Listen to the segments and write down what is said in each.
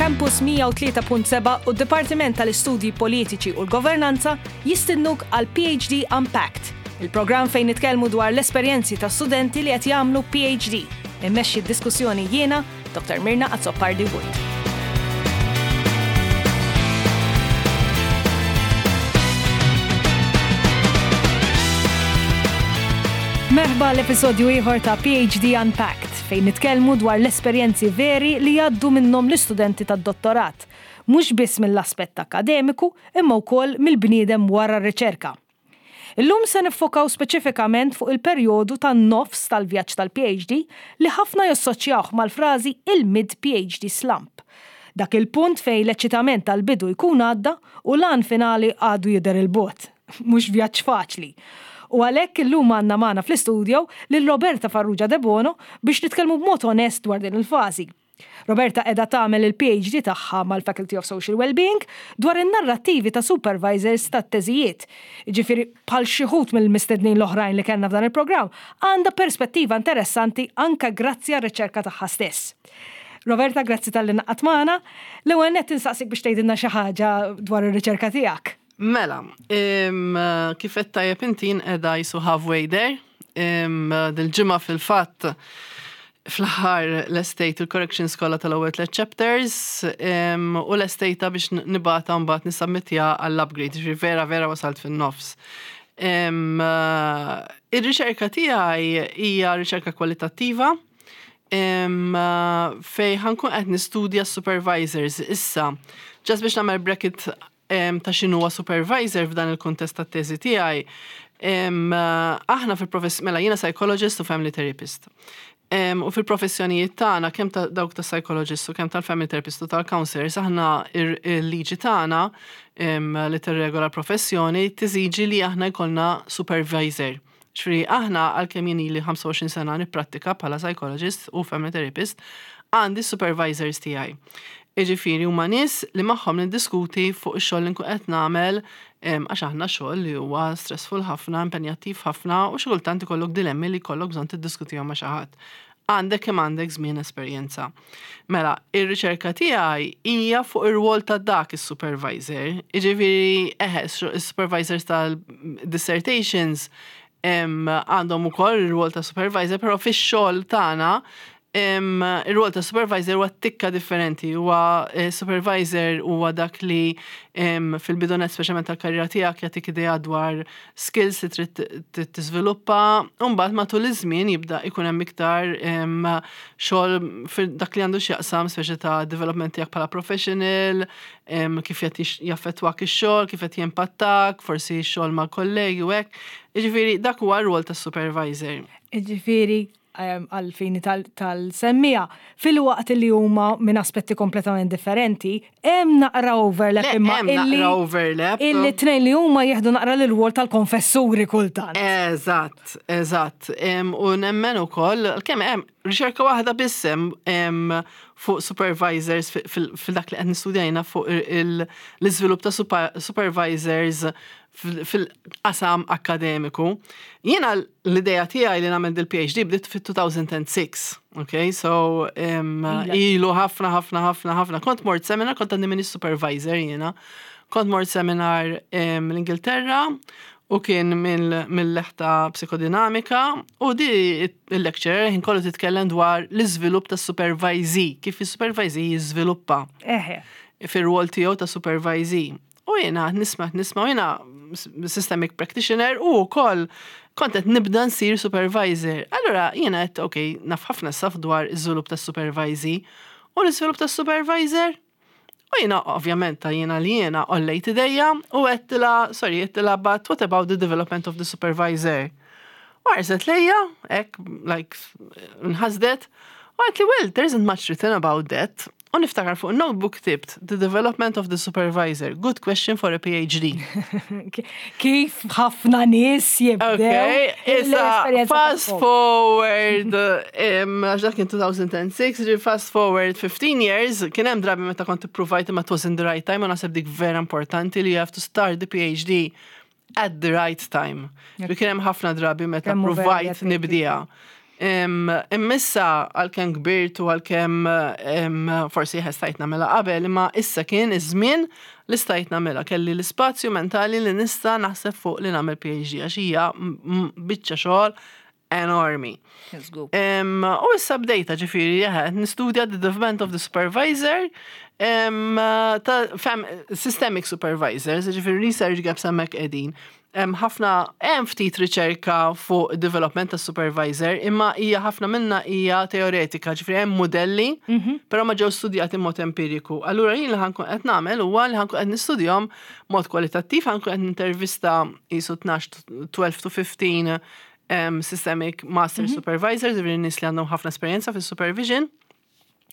Campus 103.7 u d-Dipartiment tal-Istudji Politiċi u l-Governanza jistidnuk għal PhD Unpacked, il-programm fejn nitkellmu dwar l-esperjenzi ta' studenti li qed jagħmlu PhD. Immexxi d-diskussjoni jiena, Dr. Mirna Azzopardi Wood. Merħba l-episodju ieħor ta' PhD Unpacked fejn nitkellmu dwar l-esperjenzi veri li jgħaddu minnhom l-istudenti tad-dottorat, mhux biss mill-aspett akkademiku imma wkoll mill-bniedem wara r-riċerka. Illum se niffokaw speċifikament fuq il-perjodu tan-nofs tal-vjaġġ tal-PhD li ħafna jassoċjawh mal-frażi il-mid-PhD slump. Dak il-punt fejn l-eċċitament tal-bidu jkun għadda u l-għan finali għadu jidher 'il bogħod. Mhux vjaġġ faċli. U għalhekk illum għandna magħna fl-istudio lil Roberta Farrugia Debono biex nitkellmu b'mod onest dwar din il-fażi. Roberta qiegħda tagħmel il-PhD tagħha mal-Faculty of Social Wellbeing dwar in-narrattivi ta' supervisors tat-teżijiet. Jiġifieri bħal xi wħud mill-mistednin l-oħrajn li kellna f'dan il-programm, għandha perspettiva interessanti anke grazzi għar-riċerka tagħha stess. Roberta, grazzi talli ngħaqadt magħna. L-ewwel nett insaqsik biex tgħidilna xi ħaġa dwar ir-riċerka tiegħek. Mela, kif qed tajjeb inti jien qiegħda jisu halfway there. Dil-ġimgħa fil-fatt fl-aħħar lestejt il-corrections kollha tal-ewwel tliet chapters u lestejta biex nibgħatha mbagħad nisubmittja għall-upgrade, ġifieri vera vera wasalt fin-nofs. Ir-riċerka tiegħi hija riċerka kwalitattiva fejn ħa nkun qed nistudja supervisors issa. Just biex nagħmel bracket ta' x'inhuwa supervisor f'dan il-kuntest tat-teżi tiegħi, aħna fil-profess mela jiena psychologist u family therapist. U fil-professjonijiet tagħna kemm ta' dawk ta' psychologist u kemm tal-family therapist u tal-counselors aħna il-liġi tagħna li tirregola l-professjoni tiżiġi li aħna jkollna supervisor. Ġifieri aħna għalkemm jien ili 25 sena nipprattika bħala psychologist u family therapist, għandi supervisors tiegħi. Jiġifieri huma nies li magħhom niddiskuti fuq ix-xogħol li nkun qed nagħmel għax aħna xogħol li huwa stressful ħafna, impenjattiv ħafna u xi kultant ikollok dilemmi li jkollok bżonn tiddiskutihom ma' xi ħadd. Għandek kemm għandek żmien esperjenza. Mela, ir-riċerka tiegħi hija fuq ir-rwol ta' dak is-supervisor. Jiġifieri, eħe, is-supervisors tal-dissertations għandhom ukoll ir-rwol ta' supervisor, però fix-xogħol tagħna Ir-rwol ta' supervisor huwa tikka differenti, huwa eh, supervisor huwa dak li fil-bidunet speċjalment tal-karriera tiegħek jagħtik idea dwar skills li trid tiżviluppa, u mbagħad matul iż-żmien jibda jkun hemm iktar xogħol dak li għandu x'jaqsam speċi ta' development tiegħek bħala professional, kif qed jaffettwak ix-xogħol, kif qed jimpattak, forsi x-xogħol mal-kollegi u hekk. Jiġifieri dak huwa r-rwol tas-supervisor. Jiġifieri għal-fini tal-semmija, fil-waqt li huma minn aspetti kompletament differenti, hemm naqra overlap imma illi overlap. Illi tnejn li huma jieħdu naqra l rwol tal-konfessuri kultant. Eżatt, eżatt. U nemmen ukoll, kemm hemm riċerka waħda biss hemm fuq supervisors fil-dak li qed nistudjajna fuq l-iżvilupp ta' supervisors fil-qasam akkademiku. Jiena l-ideja tiegħi li nagħmel dil-PhD bdiet fit-2006, ok? So ilu ħafna ħafna ħafna ħafna. Kont mort seminar, kont għandi minn supervisor jiena. Kont mort seminar l-Ingilterra u kien mill-leħta psikodinamika u di il-lecturer ħin kollu titkellem dwar l-iżvilupp ta' supervisee, kif il-supervisee jiżviluppa. Fir-rwol tiegħu ta' supervisee. U jiena nisma' nisma' u jiena systemic practitioner u wkoll kont qed nibda nsir supervisor. Allura jiena qed ok, naf ħafna saf dwar iż-żvilupp tas-supervisee u l-iżvilupp tas-supervisor. U jiena ovvjament ta' jiena li jiena għollejt idejja u għedtilha, sorry, għedtilha but what about the development of the supervisor? U ħarset lejja, hekk, like, nħasdet, u għedtli, well, there isn't much written about that. U niftakar fuq notebook ktibt The Development of the Supervisor. Good question for a PhD. Kif ħafna nies jibdew. Okay, issa fast forward, għax dak kien 2006, ġi fast forward 15 years, kien hemm drabi meta kont ippruvajt imma it wasn't the right time, u naħseb dik vera importanti li you have to start the PhD at the right time. Bi kien hemm ħafna drabi meta provajt nibdija. Imma issa għalkemm kbirt u għalkemm forsi stajt nagħmilha qabel, imma issa kien iż-żmien li stajt nagħmilha. Kelli l-ispazju mentali li nista' naħseb fuq li nagħmel PhD għax hija biċċa xogħol enormi. U issa bdejta, ġifieri, nistudja the development of the supervisor, ta' systemic supervisors, ġifieri research gaps hemmhekk qegħdin. Hemm ħafna, hemm ftit riċerka fuq development ta' supervisor, imma hija ħafna minna hija teoretika, ġifieri hemm modelli, però ma ġew studjati mod empiriku. Allura jien li ħa nkun qed nagħmel huwa li ħa nkun qed nistudjahom mod kwalitattiv, ħa nkun qed nintervista qisu 12, 12 to 15 systemic master supervisors, ġifieri nies li għandhom ħafna esperjenza fis-supervision.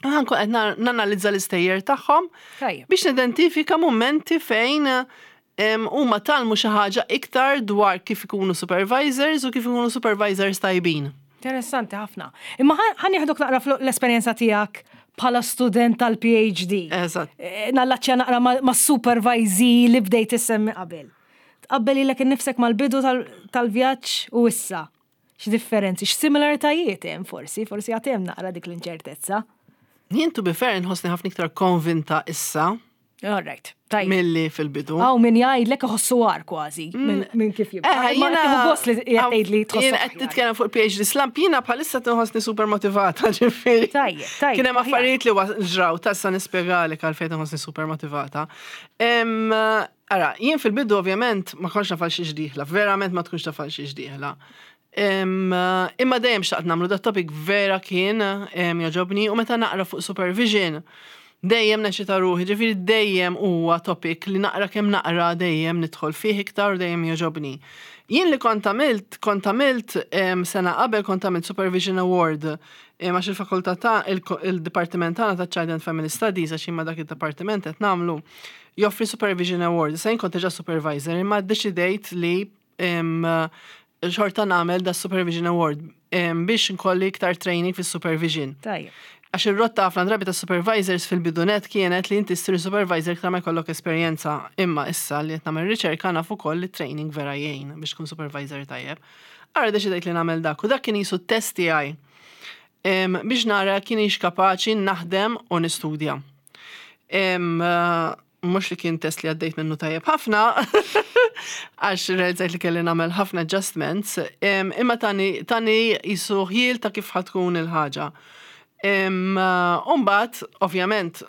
Ħa nkun qed nanalizza l-istejjer tagħhom biex nidentifika momenti fejn huma tgħallmu xi ħaġa iktar dwar kif ikunu supervisors u kif ikunu supervisors tajbin. Interessanti ħafna. Imma ħa nieħdok naqra l-esperjenza tiegħek bħala student tal-PhD. Eżatt. Nallaċċja naqra ma' supervisee li bdejt issemmi qabel. Tqabbel lilek innifsek mal-bidu tal-vjaġġ u issa. X'differenzi, x'similaritajiet hemm forsi, forsi għad hemm naqra dik l-inċertezza. Jien, to be fair, nħossni ħafna iktar konvinta issa All right, tajjeb. milli fil-bidu. Hawn min jgħidlek iħossu agħar kważi minn kif jibda. Ma tieħu gost li jgħid li tħossu Jien qed aħjar. titkellem fuq il-PhD slump, jiena bħalissa tinħossni super motivata, ġifieri. Tajjeb. Kien hemm aħjar. affarijiet li ġraw, tassa nispjegalek għalfejn tinħossni super motivata. Ara, jien fil-bidu ovvjament ma kontx naf għal xiex dieħla, verament ma tkunx taf għal xiex dieħla. Imma dejjem xtaqt nagħmlu dat topic, vera kien jogħġobni u meta naqra fuq supervision dejjem neċita ruħi, ġifieri dejjem huwa topic li naqra kemm naqra dejjem nidħol fih iktar u dejjem jogħġobni. Jien li kont għamilt sena qabel kont għamilt Supervision Award għax il-fakultà ta' il-Dipartiment tagħna ta' Child and Family Studies, għax imma dak il-dipartiment qed nagħmlu, joffri Supervision Award. Issa jien kont diġà supervisor, imma ddeċidejt li xorta nagħmel da Supervision Award biex nkolli iktar training fis-supervision. Għax ir-rotta ħafna drabi ta' supervisors fil-bidu nett kienet li inti ssir supervisor iktar ma jkollok esperjenza. Imma issa li qed nagħmel riċerka naf ukoll li training vera jgħin biex tkun supervisor tajjeb. Ara deċidejt li nagħmel dak u dak kien qisu test tiegħi biex nara kinitx kapaċi naħdem u nistudja. Mhux li kien test li għaddejt minnu tajjeb ħafna, għax realizzajt li kelli nagħmel ħafna adjustments, imma tani qisu ħjiel ta' kif ħa tkun il-ħaġa. Umbagħad, ovvjament,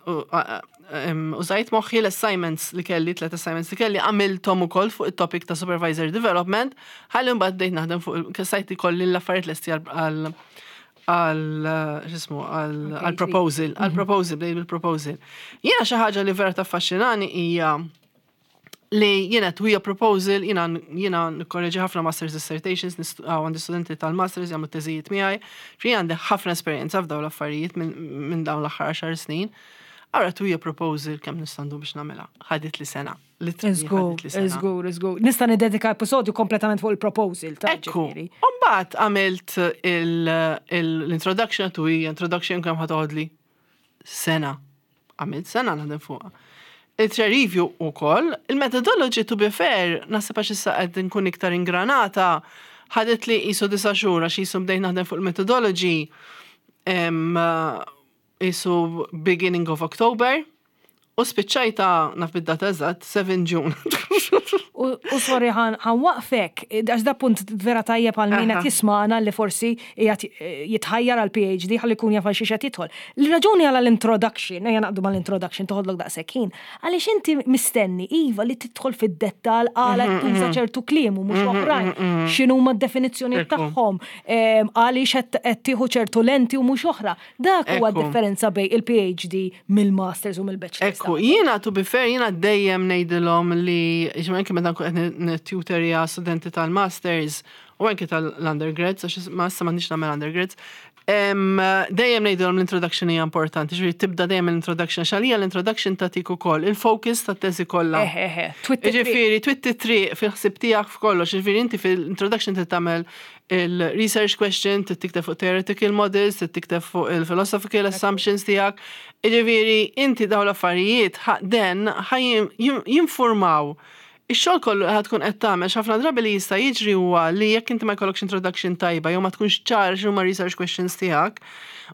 użajt moħħi l-assignments li kelli, tlet assignments li kelli, għamilthom ukoll fuq il-topic ta' supervisor development, ħalli mbagħad bdejt naħdem fuq, stajt ikolli l-affarijiet lesti għal x'ismu, għal proposal, għal proposal, bdejt bil-proposal. Jiena xi ħaġa li vera taffaxxinani hija li jiena twija proposal, jiena nikkorreġi ħafna masters dissertations, għandi studenti tal-masters jagħmlu teżijiet miegħi, fi għandi ħafna esperjenza f'dawn l-affarijiet minn dawn l-aħħar 10 snin. Ara twija proposal kemm nista' ndum biex nagħmilha. Ħadit li sena. Literally ħadit li sena. Żgur. Nista' nidedika episodju kompletament fuq il-proposal ta' Ekku. ġifieri. Umbagħad għamilt l-introduction to introduction kemm ħa toħodli? Sena. Għamilt sena naħdem fuqha. Il-peer review ukoll, il-methodology, to be fair, naħseb għax issa qed nkun iktar ingranata, ħadet li qisu 9 xhur għax qisu bdejt naħdem fuq il-methodology qisu beginning of October u spiċċajta, naf bid-data eżatt, 7 June. U sorry, ħa nwaqqfek, għax da punt vera tajjeb għal min qed jisma'na li forsi qiegħed jitħajjar għal PhD ħalli jkun jaf għal xiex qed jidħol. L-raġuni għal l-introduction, ejja naqdu mal-introduction, toħodlok daqshekk ħin, għaliex inti mistenni iva li tidħol fid-dettal għala tuża ċertu kliem u mhux oħrajn, x'inhuma d-definizzjoni tagħhom, għaliex qed tieħu ċertu lenti u mhux oħra. Dak huwa differenza bejn il-PhD mill-masters u mill-bachelors. Ekku, jiena, to be fair, jiena dejjem ngħidilhom li, ġimma anke meta nkun qed nittutorja studenti tal-masters u anke tal-undergrads, għax ma issa m'għandix nagħmel undergrads, dejjem ngħidilhom l-introduction hija importanti, ġifieri tibda dejjem l-introduction, għax għalija l-introduction tagħtik ukoll il-focus tat-teżi kollha. Eħe, twitti triq. Ġifieri, twitti triq fil-ħsib tiegħek f'kollox, ġifieri inti fil-introduction trid tagħmel il-research question, trid tikteb fuq theoretical models, trid tikteb fuq il-philosophical assumptions tiegħek. Ġifieri, inti dawn l-affarijiet den ħa jinformaw. Ix-xogħol kollu li tkun qed tagħmel ħafna drabi li jista' jiġri huwa li jekk inti ma jkollokx introduction tajba jew ma tkunx ċar x'huma research questions tiegħek,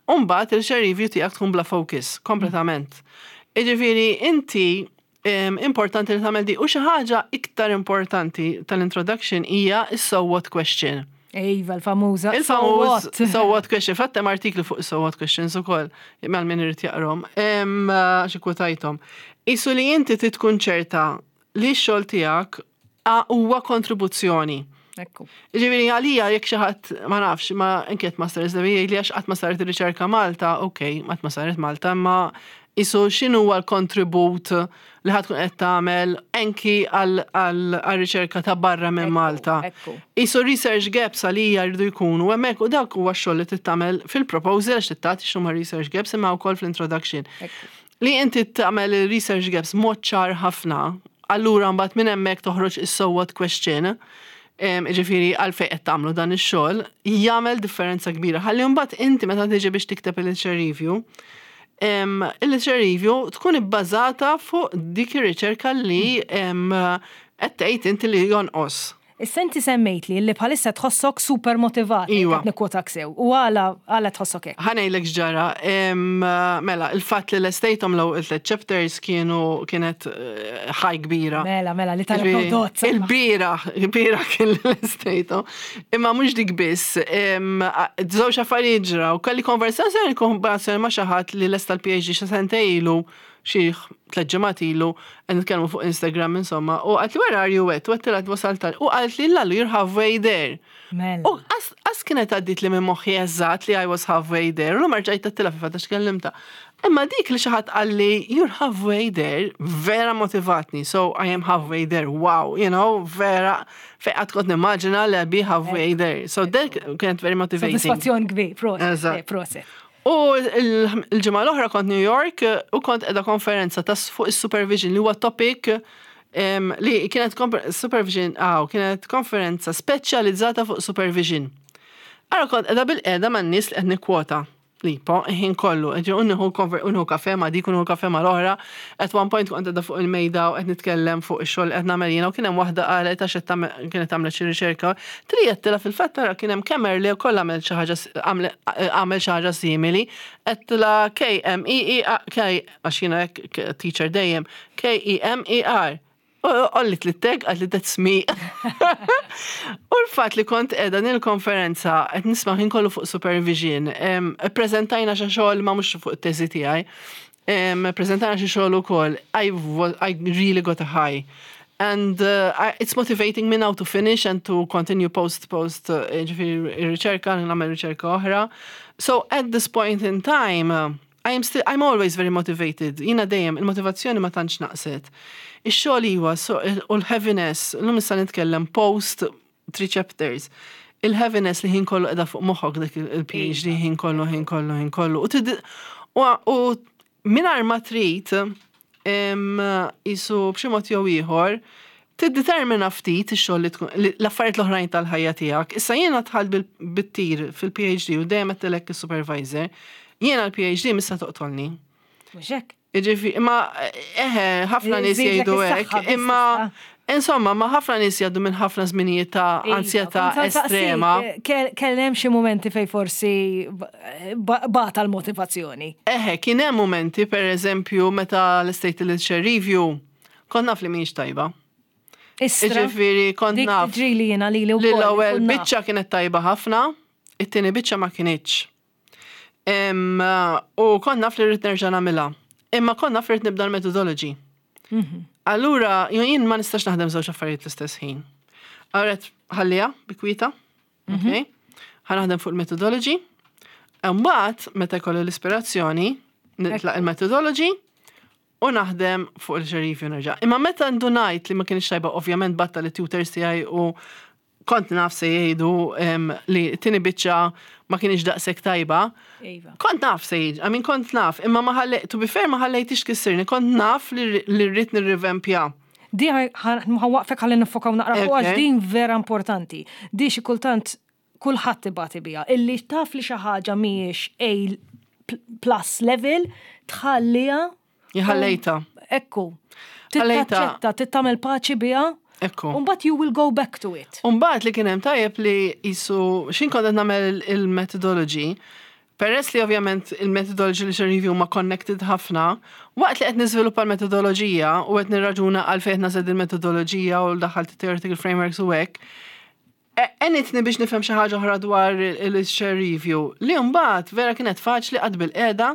u mbagħad il-literature review tiegħek tkun bla focus kompletament. Jiġifieri inti importanti li tagħmel di u xi ħaġa iktar importanti tal-introduction hija is-so what question. Iva, l-famuża. Il-famuż so what question. Fatt hemm artikli fuq so what questions ukoll, mal min irid jaqrom. Xi kwotajthom. Isu li inti tkun ċerta li x-xogħol tiegħek huwa kontribuzzjoni. Ekku. Ġifieri għalija jekk xi ħadd ma nafx ma anke masters li jgħid li għax qatt ma saret ir-riċerka Malta, ok, qatt ma saret Malta, imma isu x'inhu huwa l-kontribut li ħa tkun qed tagħmel anki għal-riċerka ta' barra minn Malta. Isu research gaps għalija jridu jkunu hemmhekk u dak huwa x-xogħol li tagħmel fil-proposal għax tagħti x'huma research gaps imma wkoll fl-introduction. Li inti tagħmel research gaps mod ċar ħafna, allura mbagħad minn hemmhekk toħroġ is-so what question, ġifieri għalfejn qed tagħmlu dan ix-xogħol, jagħmel differenza kbira. Ħalli mbagħad inti meta tiġi biex tikteb il-literature review, il-literature review tkun ibbażata fuq dik ir-riċerka li qed tgħid inti li jonqos. Issa inti semmejt li li bħalissa tħossok super motivat. Iwa. Qed nikkwotak sew. U għala tħossok hekk? Ħa ngħidlek x'ġara, mela, il-fatt li lestejthom l tlet chapters kienu kienet ħaj kbira. Mela, li tal-prodott. Il-bieraħ, il-bieraħ kien li lestejthom. Imma mhux dik biss, żewġ affarijiet ġraw. Kelli konversazzjoni konversazzjoni ma' xi ħadd li lesta l-PhD xi sentejn ilu, xi 3 ġimgħat ilu, qed nitkellmu fuq Instagram insomma, u qaltli, "Where are you at?" U għedtilha wasalt u qaltli, "Lallu, you're halfway there." Mela. U qas kienet għaddit li minn moħħi eżatt li I was halfway there, u rġajt għedtilha fi fatta x'kellimta. Imma dik li xi ħadd qalli, "You're halfway there," vera motivatni. So I am halfway there, wow, vera, fejn qatt kont nimmaġina li be halfway there. So that kienet very motivating. Soddisfazzjon kbir, proset. Eżatt. Proset. U il-ġimgħa l-oħra kont New York u kont qiegħda konferenza ta' fuq is-supervision li huwa topic li kienet supervision, kienet konferenza speċjalizzata fuq supervision. Ara kont qiegħda bilqiegħda man-nies li qed nikkwota. Li po, ħin kollu, ġi unnieħu kafe ma dik, unnieħu kafe ma l-oħra. At one point kont qiegħda fuq il-mejda u qed nitkellem fuq ix-xogħol qed nagħmel jiena u kien hemm waħda qalet għax kienet għamlet xi riċerka. Trijettilha fil-fatt tara kien hemm Kemerle wkoll għamel xi ħaġa għamel xi ħaġa simili. Għedtilha K M E E K, għax jiena hekk teacher dejjem, K E M E R. U għolliet li tag, qaltli, "That's me." U l-fatt li kont qiegħda nil-konferenza qed nisma' ħin kollu fuq supervision, preżentajna xi xogħol ma mhux fuq it-teżi tiegħi, preżentajna xi xogħol ukoll, I really got a high. And it's motivating me now to finish and to continue post, ġifieri riċerka, nagħmel riċerka oħra. So at this point in time, I am still, I'm always very motivated. Jiena dejjem, il-motivazzjoni ma tantx naqset. Ix-xogħol iwa, so, u l-heaviness, l-lum issa nitkellem post three chapters. Il-heaviness li ħin kollu qiegħda fuq moħħok dik il-PhD ħin kollu, ħin kollu, ħin kollu. U mingħajr ma trid, jisu b'xi mod jew ieħor, tiddetermina ftit ix-xogħol li tkun l-affarijiet l-oħrajn tal-ħajja tiegħek. Issa jiena dħalt bit-tir fil-PhD u dejjem għedtilek is-supervisor, jiena l-PhD missa toqtolni. Mhux hekk? Jiġifieri, imma eħe, ħafna nies Żidlek jgħidu is-saħħa hekk, biss imma issa. insomma, ma ħafna nies jgħaddu minn ħafna żminijiet ta' ansjetà Iva, kont saqsik, estrema. Kellem xi momenti fej forsi bata l-motivazzjoni. Eħe, kien hemm momenti, per eżempju, meta lestejt il-literature review, kont naf li mhijiex tajba. Istra, Jiġifieri, kont dik naf tiġri li jiena li li li l-ewwel biċċa kienet tajba ħafna, it-tieni biċċa ma kinitx. U kont naf li rrid nerġa' nagħmilha. Imma kont naf li rrid nibda l-methodology. Allura, jien ma nistax naħdem żewġ affarijiet l-istess ħin. Allura ħalliha bi kwieta, ok? Ħa naħdem fuq il-methodology. Imbagħad meta jkollu l-ispirazzjoni, nitlaq il-methodology u naħdem fuq il-review nerġa'. Imma meta ndunajt li ma kienx tajba, ovvjament bgħatt lit-tutors tiegħi u kont naf se jgħidu li t-tieni biċċa ma kienx daqshekk tajba. Kont naf se jgħidu, I mean kont naf, imma ma ħalli, to be fair ma ħallejtix tkissirni, kont naf li rrid nirrivempja. Di ħa nwaqqfek ħalli nifokaw naqra fuq għax din vera importanti. Di xi kultant kulħadd ibati biha. Illi taf li xi ħaġa mhijiex A plus level, tħalliha. Ħallejtha. Ekku. Ħallejtha. Tittaċċetta, tittamel paċi biha. Ekku. Umbagħad you will go back to it. Umbagħad li kien hemm tajjeb li jisu xin kont qed nagħmel il-methodology, peress li ovvjament il-methodology li review ma connected ħafna, waqt li qed niżviluppa l-metodoloġija u qed nirraġuna għalfejn qed nażel il-metodoloġija u daħalt theoretical frameworks u hekk, għenitni biex nifhem xi ħaġa oħra dwar il-literature review li mbagħad vera kienet faċli qatt bil-qiegħda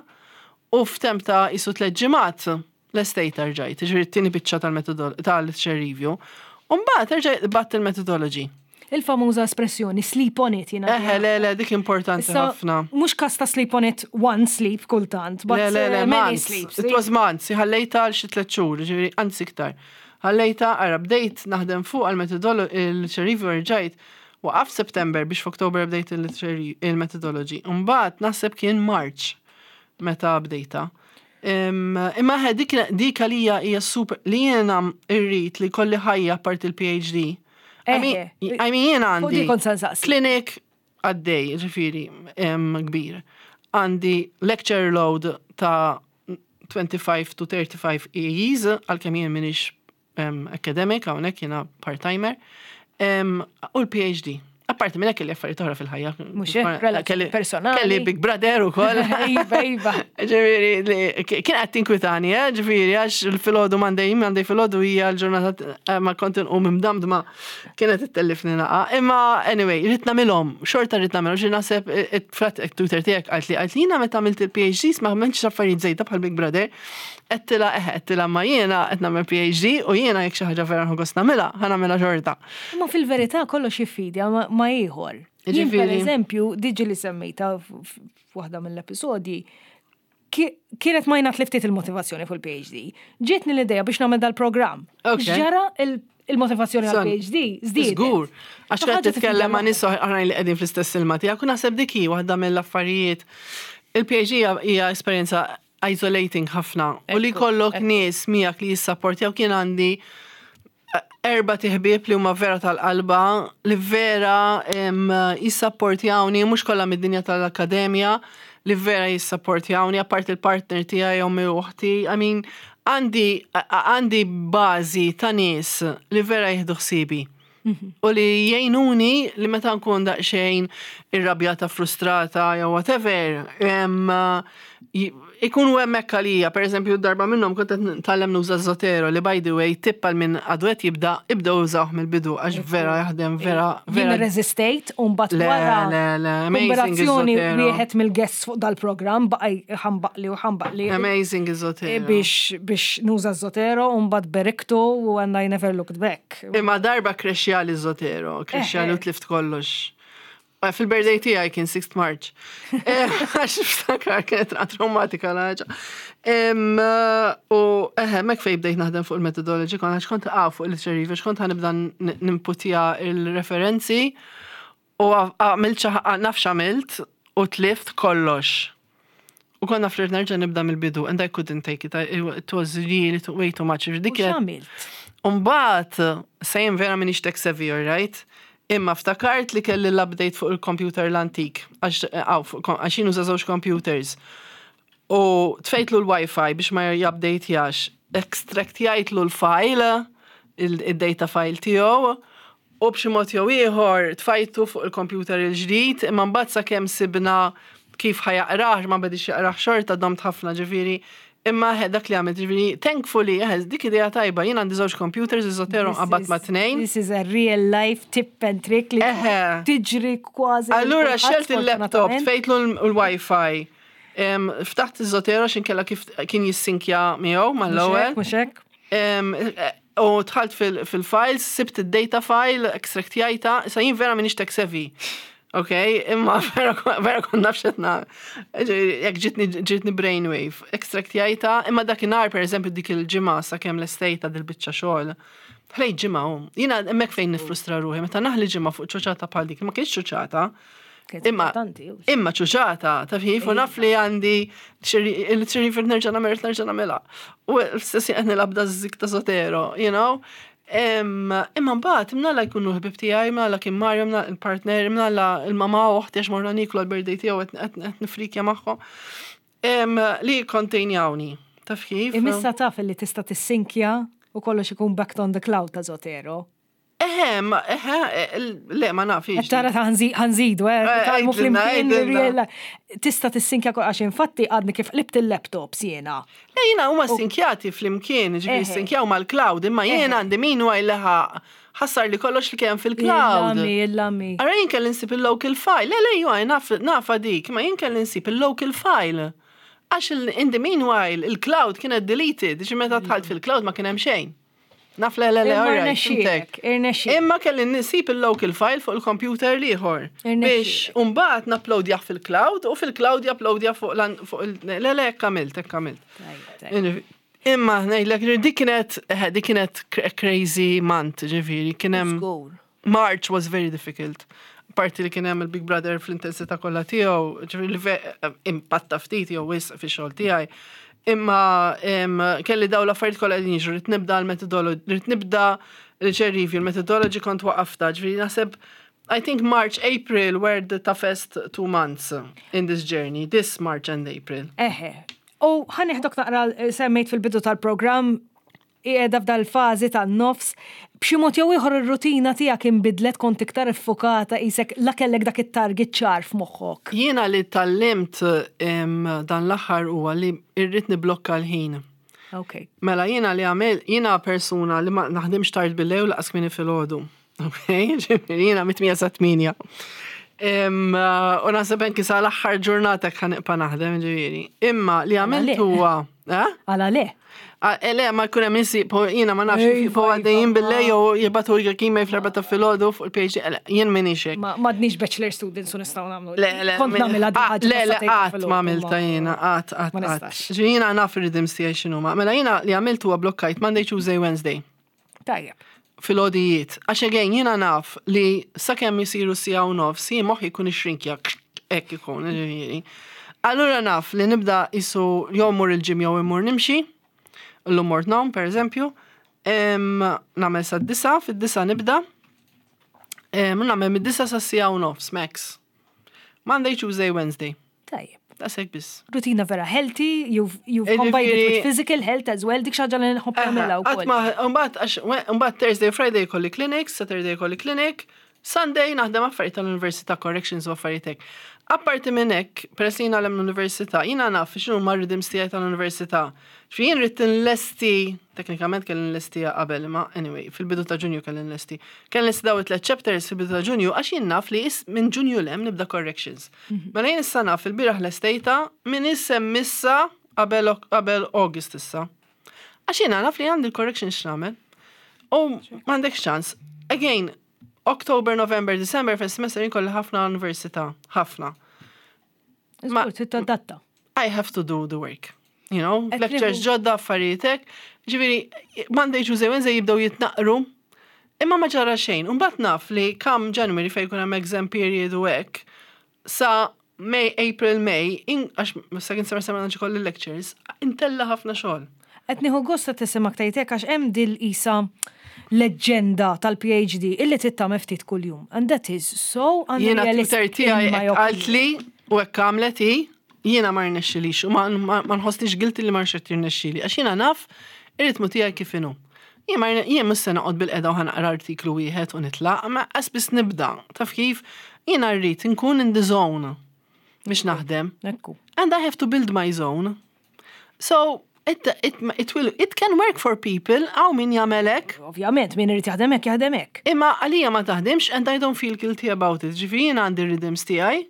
u f'temp ta' jisu 3 ġimgħat l-estate rġajt, ġifieri t-tieni biċċa tal-literature review. U mbagħad rġajt bgħatt il-methodology. Il-famuża espressjoni "sleep on it" jiena. Eħe, le, le, dik importanti ħafna. Mhux kas ta' sleep on it one sleep kultant, but Le, le, le, many months. sleeps. It was months. Ħallejta għal xi 3 xhur, ġifieri anzi iktar. Ħallejta, ara, bdejt naħdem fuq għal il-literature review rġajt waqaf September biex f'Oktober bdejt il-methodology. Mbagħad naħseb kien March meta bdejta. Imma ħe dik għalija hija super li jiena irrid li kolli ħajja apart il-PhD. I mean, I mean jiena Fuq għandi dik kont se nsaqsi. clinic għaddej, ġifieri, kbir. Għandi lecture load ta' 25 to 35 AEs, għalkemm jien m'iniex academic, hawnhekk jiena part-timer, u l-PhD. Apparti minn hekk kelli affarijiet oħra fil-ħajja. Mhux hekk, relazzjoni personali. Kelli Big Brother ukoll. Iva. Ġifieri, kien qed tinkwitani, eh, ġifieri, għax il-filgħodu Monday, Monday filgħodu hija l-ġurnata ma kont inqum imdamdma kienet ittellifni naqa. Imma anyway, rrid nagħmilhom, xorta rrid nagħmilhom, xi naħseb frat tutor tiegħek qalt li jiena meta għamilt il-PhD ma għamiltx affarijiet żejda bħal Big Brother. Għedtilha eħe, għedtilha ma jiena qed nagħmel PhD u jiena jekk xi ħaġa vera nħu gost nagħmilha, ħa nagħmilha xorta. Imma fil-verità kollox jiffidja ma ieħor. Jien per eżempju, diġi li semmejta f'waħda mill-episodji, kienet ma jnat li ftit il-motivazzjoni fuq il-PhD. Ġietni l-idea biex nagħmel dal-programm. Ġara il-motivazzjoni għal-PhD, żdiedet. Żgur. Għax qed titkellem ma' nies oħrajn li qegħdin fl-istess ilma tiegħek u naħseb dik hi waħda mill-affarijiet. Il-PhD hija esperjenza isolating ħafna u li jkollok nies miegħek li jissapportjaw. Kien għandi erba' ħbieb li huma vera tal-qalba li vera jissapportjawni, mhux kollha mid-dinja tal-akkademja, li vera jissapportjawni, apart il-partner tiegħi, ommi u uħti. I mean, għandi bażi ta' nies li vera jieħdu ħsiebi. U li jgħinuni li meta nkun daqsxejn irrabjata, frustrata, jew whatever, ikunu hemmhekk għalija. Per eżempju, darba minnhom kont qed nitgħallem nuża Zotero li, by the way, tip għal min għadu qed jibda, ibda użawh mill-bidu għax vera jaħdem, vera, Jien vera. resistejt u mbagħad Le, wara le, le, amazing kombinazzjoni iż-Zotero. wieħed mill-guests fuq dal-programm baqa' ħambaqli u ħambaqli Amazing iż-Zotero. biex nuża Zotero u mbagħad beriktu u and I never looked back. Imma darba crashjali Zotero, crashjali u tlift kollox. Fil-birthday tiegħi kien 6th March. Għax niftakar kienet traumatika l-ħaġa. U eħe, mek fej bdejt naħdem fuq il-methodology, kon għax kont għaw fuq il-literature review, għax kont ħa nibda nimputja il-referenzi u għamilt naf x'għamilt u tlift kollox. U konna flirt nerġa' nibda mill-bidu and I couldn't take it. It was really way too much. U Dik kienet x'għamilt? Umbagħad, sejm vera m'iniex tech savvy, right? Imma ftakart li kelli l-update fuq il-computer l-antik, għax jien uża żewġ computers. U tfejtlu l-Wi-Fi biex ma jupdate-jax, extractjajtlu l-file, il-data file tiegħu, u b'xi mod jew ieħor tfajtu fuq il-computer il-ġdid, imma mbagħad sakemm sibna kif ħa jaqrah, ma bedix jaqrah xorta domt ħafna ġifieri. Imma dak li għamilt, ġifieri, thankfully, dik idea tajba, jien għandi żewġ computers, iż-Zotero qabad ma' tnejn. This is a real life tip and trick li tiġri kważi. Allura kulħadd, xelt il-laptop, sfortunatament. tfejtlu l-Wi-Fi. Ftaħt iż-Zotero x'inkella kif kien jissinkja miegħu mal-ewwel. Mhux hekk? U dħalt fil-files, sibt id-data file, extractjajta, sa jien vera m'iniex tech savvy. Ok, imma vera kont naf x'qed jekk ġitni brainwave, extractjajta, imma dakinhar per eżempju dik il-ġimgħa sakemm l-estejta dil-biċċa xogħol. Ħlejt ġimgħa u jiena hemmhekk fejn nifrustra ruħi, meta naħli ġimgħa fuq ċuċata bħal dik, ma kienx ċuċata. Kienet Imma importanti, u. imma ċuċata, taf kif, u naf li għandi il-ċerifir nerġa' nagħmel nerġa' nagħmilha. U l-istess qed nilgħab da zik ta' Zotero, you know? Imma mbagħad imnalla jkunu ħbib tiegħi, imnalla kien Mario, imnalla il-partner, imnalla il-mama u oħti għax morna niklu għal-birthday tiegħu qed nifrikja magħhom. Li kontenjawni. Taf kif? Imissa taf li tista' tissinkja. U kollox ikun backed on the cloud ta' Zotero. Eħe, eħe, le, ma nafx. Tara ta' ħa nżidu, tgħallmu flimkien. Tista' tissinkja għax infatti għadni kif qlibt il-laptops jiena. Le, jiena huma sinkjati flimkien, ġifieri sinkjaw mal-cloud, imma jiena għandi min huwa jleħa ħassar li kollox li kien fil-cloud. Il-lami, il-lami. Ara jien kelli nsib il-local file. Le, le, ju nafa dik, ma jien kelli nsib il-local file. Għax in the meanwhile, il-cloud kienet deleted, ġi meta dħalt fil-cloud ma kien hemm xejn. Naf le, le, le, alright. Imma kelli nsib il-local file fuq il-computer l-ieħor. Biex mbagħad naploadjah fil-cloud u fil-cloud japloadja fuq il- Le, le, għamilt, għamilt. Imma ngħidlek dik kienet crazy month, ġifieri, kien hemm March was very difficult. Parti li kien hemm il-Big Brother fl-intensità kollha tiegħu, ġifieri li impatta ftit jew wisq fix-xogħol tiegħi. Imma kelli daw l-affarijiet kollha qegħdin jiġru, rrid nibda l-methodology, rrid nibda literature review, l-methodology kont waqafta, ġifieri naħseb I think March, April were the toughest 2 months in this journey, this March and April. Eħe. U ħa nieħdok naqra semmejt fil-bidu tal-programm qiegħda f'dal-fażi tan-nofs, b'xi mod jew ieħor ir-rutina tiegħek inbidlet, kont iktar iffukata, qisek la kellek dak it-target ċar f'moħħok. Jiena li tgħallimt dan l-aħħar huwa li irrid niblokka l-ħin. Mela jiena li għamil, jiena persuna li ma naħdimx tard bil-lejl lanqas kmieni filgħodu. Ok, ġifieri jiena mit-8 sa 8. U naħseb anki sa l-aħħar ġurnata ħa nibqa' naħdem, ġifieri. Imma li għamilt huwa. Eh? Għala le? Ah, le, ma jkun hemm insi, jiena ma nafx po għaddejjin bil-lejl jew jibagħtu email fl-4 ta' filgħodu fuq il-PhD, jien m'iniex hekk. M'għadniex bachelor students u nistgħu nagħmlu. Le, le. Kont nagħmilha ah, Le, le, qatt ma għamilta jiena, qatt, qatt, qatt. Jiena naf ir-rhythms tiegħi x'inhuma. Mela jiena li għamilt huwa blokkajt Monday, Tuesday, Wednesday. Tajjeb. Filgħodijiet. Għax again jiena naf li sakemm jisiru siegħa u nofs, jien moħħi jkun ixrinkja, hekk ikun, ġifieri. Allura naf li nibda isu jew mur il-gym jew immur nimxi, l-lum mort nom, per eżempju, nagħmel sa 9, fid-9 nibda, nagħmel mid-9 sa siegħa u nofs, max. Monday, Tuesday, Wednesday. Tajjeb. Daqshekk biss. Rutina vera healthy, you've combined it with physical health as well, dik xi ħaġa li nħobb nagħmilha wkoll. Mbagħad Thursday, Friday kolli clinics, Saturday kolli clinic, Sunday naħdem affarijiet tal-università, corrections u affarijiet hekk. Apparti minn hekk, peress li jiena l-università, jiena naf x'inhu ma rhythms tiegħi tal-università. Fi jien rrid nlesti, teknikament kelli nlestiha qabel, ma anyway, fil-bidu ta' Ġunju kelli nlesti. Kelli nlesti daw it-tliet chapters fil-bidu ta' Ġunju għax jien naf li minn Ġunju 'l hemm nibda corrections. Mela jien issa naf il-bieraħ lestejta minn issem missa qabel August issa. Għax jiena naf li għandi l-corrections x'nagħmel. U m'għandek ċans. Again, October, November, December fil-semester jien kolli ħafna università, ħafna. Ma datta. I have to do the work. Lectures ġodda, affarijiet. Ġifieri, Monday, Tuesday, Wednesday jibdew jitnaqru. Imma ma ġara xejn. Mbagħad naf li come January fejn jkun hemm exam period u hekk, sa May, April, May, għax second semester ma kolli lectures, intella ħafna xogħol. Qed nieħu gost tismgħek tgħidlek għax hemm dil isa leġġenda tal-PhD illi trid tagħmel ftit kuljum. And that is so Jiena unrealistic. tutor tiegħi in my hekk opinion. qaltli u hekk għamlet hi, jiena ma rnexxilix u ma nħossnix guilty li ma rnexxili għax jiena naf ir-ritmu tiegħi kif inhu. Jien mhux se noqgħod bil-qeda u ħa naqra artiklu wieħed u nitlaq, ma biss nibda. Taf kif? Jiena rrid nkun in the zone biex naħdem. Ekku. And I have to build my zone. So it can work for people, hawn min jagħmel hekk. Ovvjament, min irid jaħdem hekk jaħdem hekk. Imma għalija ma taħdimx and I don't feel guilty about it. Ġifieri jiena għandi rhythms tiegħi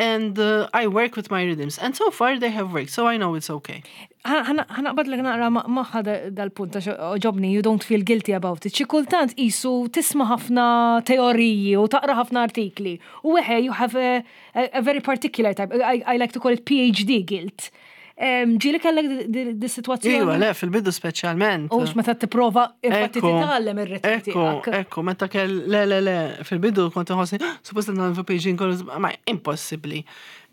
and I work with my rhythms. And so far they have worked, so I know it's okay. Ħa naqbadlek naqra magħha dal-punt għax għoġobni, you don't feel guilty about it. Xi kultant isu tisma' ħafna teoriji u taqra ħafna artikli. U eħe, you have a very particular type, I like to call it PhD guilt. Ġieli kellek di situazzjoni? Iva, le, fil-bidu speċjalment. U meta tipprova infatti titgħallem ir-ritmu Ekku, tiegħek. ekku, meta kell, le, le, le, fil-bidu kont nħossni, "Ah, suppost nagħmel PhD kollu, ma impossibbli,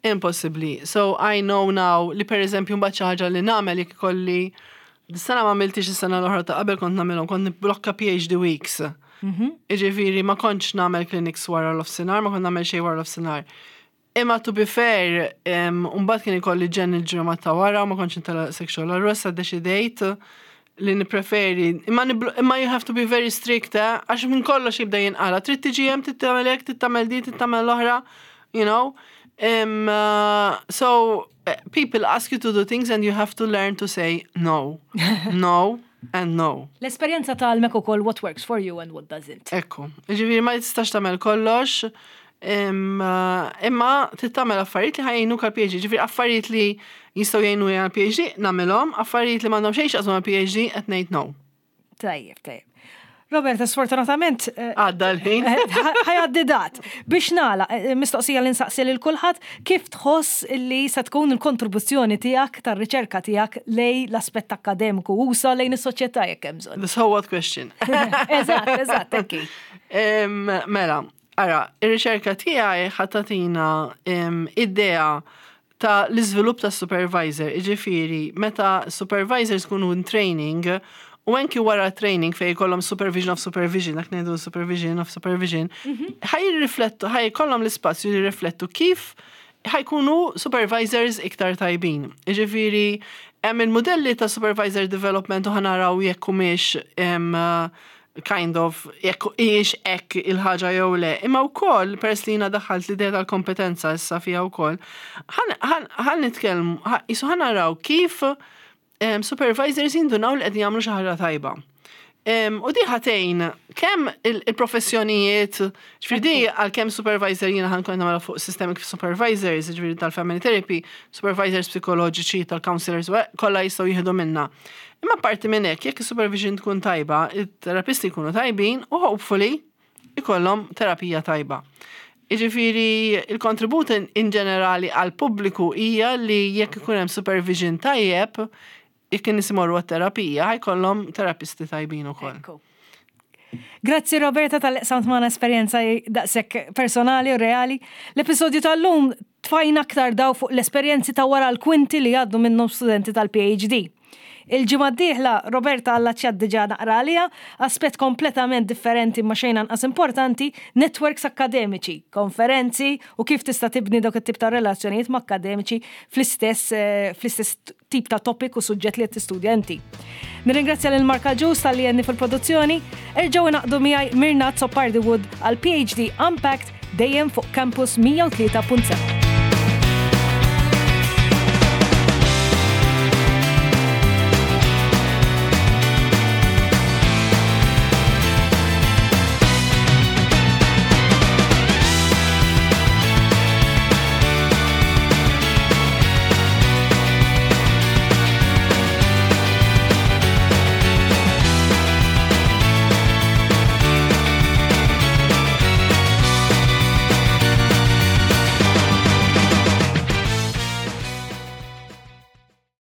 impossibbli. So I know now li per eżempju mbagħad xi ħaġa li nagħmel jekk ikolli Dis-sena ma għamiltix, is-sena l-oħra ta' qabel kont nagħmilhom, kont nibblokka PhD weeks. Iġifieri ma kontx nagħmel clinics wara l-offsinar, ma kont nagħmel xejn wara l-offsinar. Imma to be fair, mbagħad kien ikolli ġen il-ġimgħa ta' wara, ma kontx intela sexual, allura sa deċidejt li nippreferi, imma imma you have to be very strict, eh? Għax minn kollox jibda jinqala. Trid tiġi hemm, trid tagħmel hekk, trid tagħmel di, trid tagħmel l-oħra, you know. So people ask you to do things and you have to learn to say no. No and no. L-esperjenza tgħallmek ukoll what works for you and what doesn't. Ekku. Ġifieri ma tistax tagħmel kollox, imma trid tagħmel affarijiet li ħa jgħinuk għal PhD. Ġifieri affarijiet li jistgħu jgħinu għal PhD nagħmilhom, affarijiet li m'għandhom xejn x'jaqsmu għal PhD qed ngħid no. Tajjeb. Roberta, sfortunatament Għadda l-ħin. Ħa jgħaddi dat. Biex nagħlaq, mistoqsija li nsaqsi lil kulħadd, kif tħoss li se tkun il-kontribuzzjoni tiegħek tar-riċerka tiegħek lejn l-aspett akkademiku usa lejn is-soċjetà jekk hemm bżonn? The so what question. Eżatt, hekk. Mela, ara, ir-riċerka tiegħi ħa tagħtina idea ta' l-iżvilupp ta' supervisor, iġifieri, meta supervisors kunu in training, u anki wara training fej kollhom supervision of supervision, dak ngħidu supervision of supervision, ħa jirriflettu, ħa jkollhom l-ispazju li jirriflettu kif ħa jkunu supervisors iktar tajbin. Iġifieri, hemm il-modelli ta' supervisor development u ħa naraw jekk humiex kind of jekk hijiex hekk il-ħaġa jew le. Imma wkoll peress li jiena daħħalt l-idea tal-kompetenza issa fiha wkoll, ħa nitkellmu, qisu ħa naraw kif supervisors jindunaw li qegħdin jagħmlu xi ħaġa tajba. U di ħa tgħin kemm il-professjonijiet, ġifieri di għal kemm supervisor jiena ħa nkun nagħmel fuq systemic supervisors, ġifieri tal-family therapy, supervisors psikoloġiċi, tal-counselors, kollha jistgħu jieħdu minna. Imma parti minn hekk, jekk is-supervision tkun tajba, it-terapisti jkunu tajbin u hopefully ikollhom terapija tajba. Iġifieri il-kontribut in ġenerali għal pubbliku hija li jekk ikun hemm supervision tajjeb, jekk in-nies imorru għat-terapija, ħa jkollhom terapisti tajbin ukoll. Ekku. Grazzi, Roberta, talli qsamt magħna esperjenza daqshekk personali u reali. L-episodju tal-lum tfajna aktar dawl fuq l-esperjenzi ta' wara l-kwinti li għaddu minnhom studenti tal-PhD. Il-ġimgħa d-dieħla Roberta għalla diġà naqra għalija, aspett kompletament differenti ma xejn anqas importanti, networks akademiċi, konferenzi u kif tista' tibni dawk it-tip ta' relazzjonijiet ma' akademiċi fl-istess tip ta' topic u suġġett li qed tistudja inti. Nirringrazzja lil Marka Ġus talli għenni fil-produzzjoni, erġgħu ingħaqdu miegħi Mirna Azzopardi Wood għal PhD Unpacked dejjem fuq Campus 103.7.